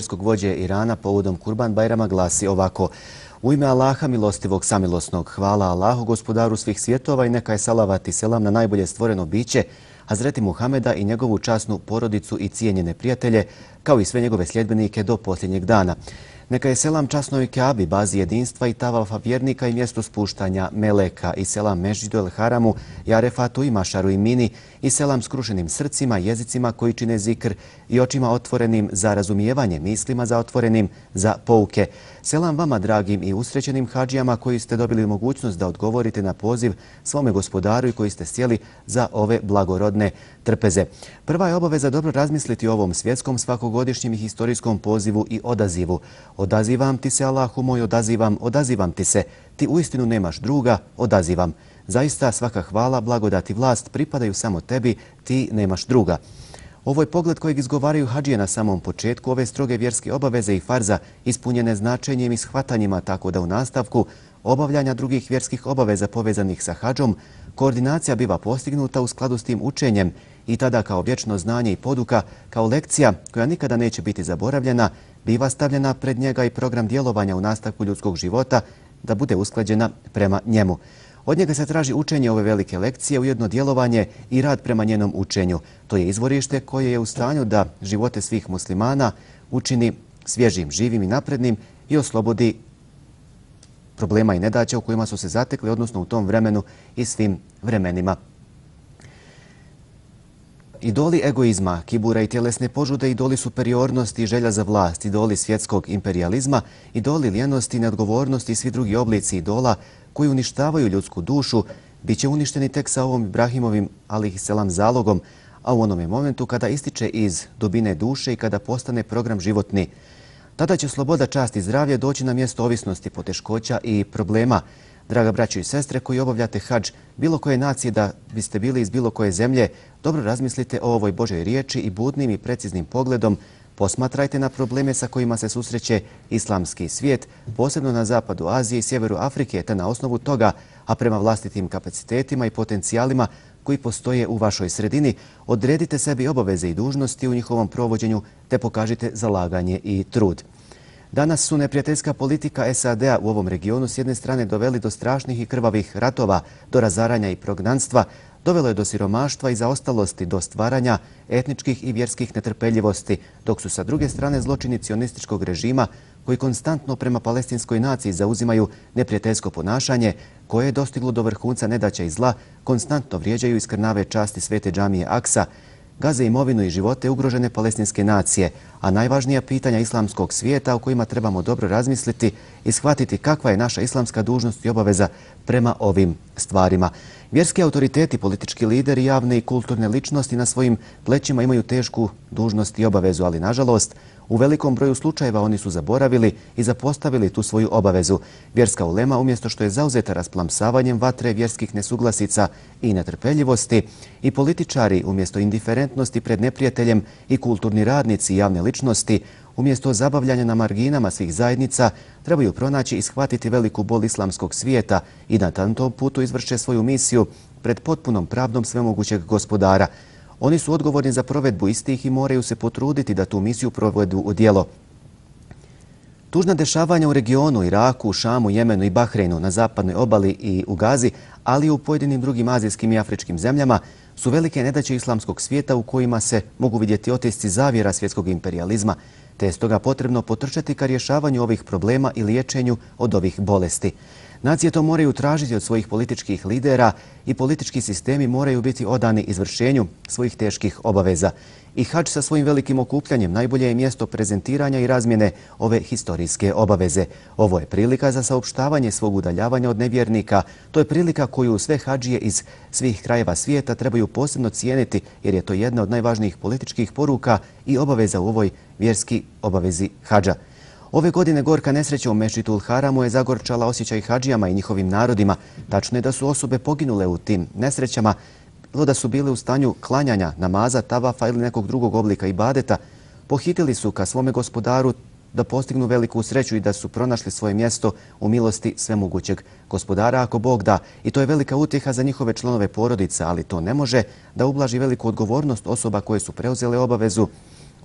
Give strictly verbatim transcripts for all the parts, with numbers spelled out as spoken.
vjerskog vođe Irana povodom Kurban Bajrama glasi ovako: U ime Allaha milostivog samilosnog, hvala Allahu, gospodaru svih svjetova, i neka je salavat i selam na najbolje stvoreno biće, Hazreti Muhameda i njegovu časnu porodicu i cijenjene prijatelje, kao i sve njegove sljedbenike do posljednjeg dana. Neka je selam časnoj Kaabi, bazi jedinstva i tavafa vjernika i mjesto spuštanja meleka, i selam Mežđidu el Haramu, i Arefatu i Mašaru i Mini, i selam skrušenim srcima, jezicima koji čine zikr i očima otvorenim za razumijevanje, mislima za otvorenim za pouke. Selam vama, dragim i usrećenim hađijama koji ste dobili mogućnost da odgovorite na poziv svome gospodaru i koji ste sjeli za ove blagorodne trpeze. Prva je obaveza dobro razmisliti o ovom svjetskom, svakogodišnjem i historijskom pozivu i odazivu. Odazivam ti se, Allahu moj, odazivam, odazivam ti se. Ti uistinu nemaš druga, odazivam. Zaista svaka hvala, blagodat i vlast pripadaju samo tebi, ti nemaš druga. Ovo je pogled kojeg izgovaraju hađije na samom početku ove stroge vjerske obaveze i farza, ispunjene značenjem i shvatanjima, tako da u nastavku obavljanja drugih vjerskih obaveza povezanih sa hađom, koordinacija biva postignuta u skladu s tim učenjem i tada kao vječno znanje i poduka, kao lekcija koja nikada neće biti zaboravljena, biva stavljena pred njega i program djelovanja u nastavku ljudskog života da bude usklađena prema njemu. Od njega se traži učenje ove velike lekcije, ujedno djelovanje i rad prema njenom učenju. To je izvorište koje je u stanju da živote svih muslimana učini svježim, živim i naprednim i oslobodi problema i nedaća u kojima su se zatekli, odnosno u tom vremenu i svim vremenima. Idoli egoizma, kibura i tjelesne požude, idoli superiornosti i želja za vlast, idoli svjetskog imperializma, idoli lijenosti, neodgovornosti i svi drugi oblici idola koji uništavaju ljudsku dušu, bit će uništeni tek sa ovom Ibrahimovim alejhiselam zalogom, a u onome momentu kada ističe iz dubine duše i kada postane program životni. Tada će sloboda, čast i zdravlje doći na mjesto ovisnosti, poteškoća i problema. Draga braćo i sestre koji obavljate hadž bilo koje nacije, da biste bili iz bilo koje zemlje, dobro razmislite o ovoj Božoj riječi i budnim i preciznim pogledom posmatrajte na probleme sa kojima se susreće islamski svijet, posebno na zapadu Azije i sjeveru Afrike, te na osnovu toga, a prema vlastitim kapacitetima i potencijalima koji postoje u vašoj sredini, odredite sebi obaveze i dužnosti u njihovom provođenju te pokažite zalaganje i trud. Danas su neprijateljska politika S A D-a u ovom regionu s jedne strane doveli do strašnih i krvavih ratova, do razaranja i prognanstva, dovelo je do siromaštva i zaostalosti, do stvaranja etničkih i vjerskih netrpeljivosti, dok su sa druge strane zločini cionističkog režima koji konstantno prema palestinskoj naciji zauzimaju neprijateljsko ponašanje koje je dostiglo do vrhunca nedaća i zla, konstantno vrijeđaju i skrnave časti svete džamije Aksa, gaze imovinu i živote ugrožene palestinske nacije, a najvažnija pitanja islamskog svijeta o kojima trebamo dobro razmisliti i shvatiti kakva je naša islamska dužnost i obaveza prema ovim stvarima. Vjerski autoriteti, politički lideri, javne i kulturne ličnosti na svojim plećima imaju tešku dužnost i obavezu, ali nažalost u velikom broju slučajeva oni su zaboravili i zapostavili tu svoju obavezu. Vjerska ulema, umjesto što je zauzeta rasplamsavanjem vatre vjerskih nesuglasica i netrpeljivosti, i političari, umjesto indiferentnosti pred neprijateljem, i kulturni radnici i javne ličnosti, umjesto zabavljanja na marginama svih zajednica, trebaju pronaći i shvatiti veliku bol islamskog svijeta i na tom putu izvrše svoju misiju pred potpunom pravdom svemogućeg gospodara. Oni su odgovorni za provedbu istih i moraju se potruditi da tu misiju provedu u djelo. Tužna dešavanja u regionu, Iraku, Šamu, Jemenu i Bahreinu, na zapadnoj obali i u Gazi, ali i u pojedinim drugim azijskim i afričkim zemljama, su velike nedaće islamskog svijeta u kojima se mogu vidjeti otisci zavjera svjetskog imperializma, te je stoga potrebno potrčati ka rješavanju ovih problema i liječenju od ovih bolesti. Nacije to moraju tražiti od svojih političkih lidera i politički sistemi moraju biti odani izvršenju svojih teških obaveza. I hadž sa svojim velikim okupljanjem najbolje je mjesto prezentiranja i razmjene ove historijske obaveze. Ovo je prilika za saopštavanje svog udaljavanja od nevjernika. To je prilika koju sve hadžije iz svih krajeva svijeta trebaju posebno cijeniti, jer je to jedna od najvažnijih političkih poruka i obaveza u ovoj vjerski obavezi hadža. Ove godine gorka nesreća u Mešćidul Haramu je zagorčala osjećaj hadžijama i njihovim narodima. Tačno je da su osobe poginule u tim nesrećama, bilo da su bile u stanju klanjanja, namaza, tavafa ili nekog drugog oblika ibadeta. Pohitili su ka svome gospodaru da postignu veliku sreću i da su pronašli svoje mjesto u milosti svemogućeg gospodara ako Bog da. I to je velika utjeha za njihove članove porodica, ali to ne može da ublaži veliku odgovornost osoba koje su preuzele obavezu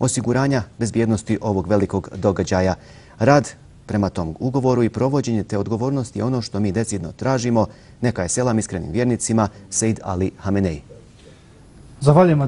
osiguranja bezbjednosti ovog velikog događaja. Rad prema tom ugovoru i provođenje te odgovornosti je ono što mi decidno tražimo. Neka je selam iskrenim vjernicima, Sejd Ali Hamenej. Zahvaljujemo.